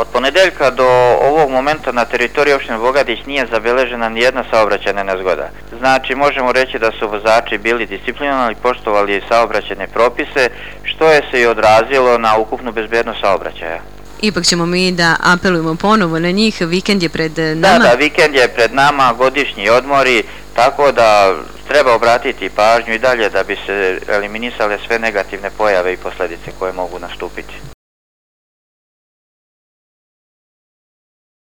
Od ponedeljka do ovog momenta na teritoriji opštine Bogatić nije zabeležena nijedna saobraćajna nezgoda. Znači, možemo reći da su vozači bili disciplinovani, poštovali saobraćajne propise, što je se i odrazilo na ukupnu bezbednost saobraćaja. Ipak ćemo mi da apelujemo ponovo na njih, vikend je pred nama. Da, vikend je pred nama, godišnji odmori, tako da treba obratiti pažnju i dalje da bi se eliminisale sve negativne pojave i posledice koje mogu nastupiti.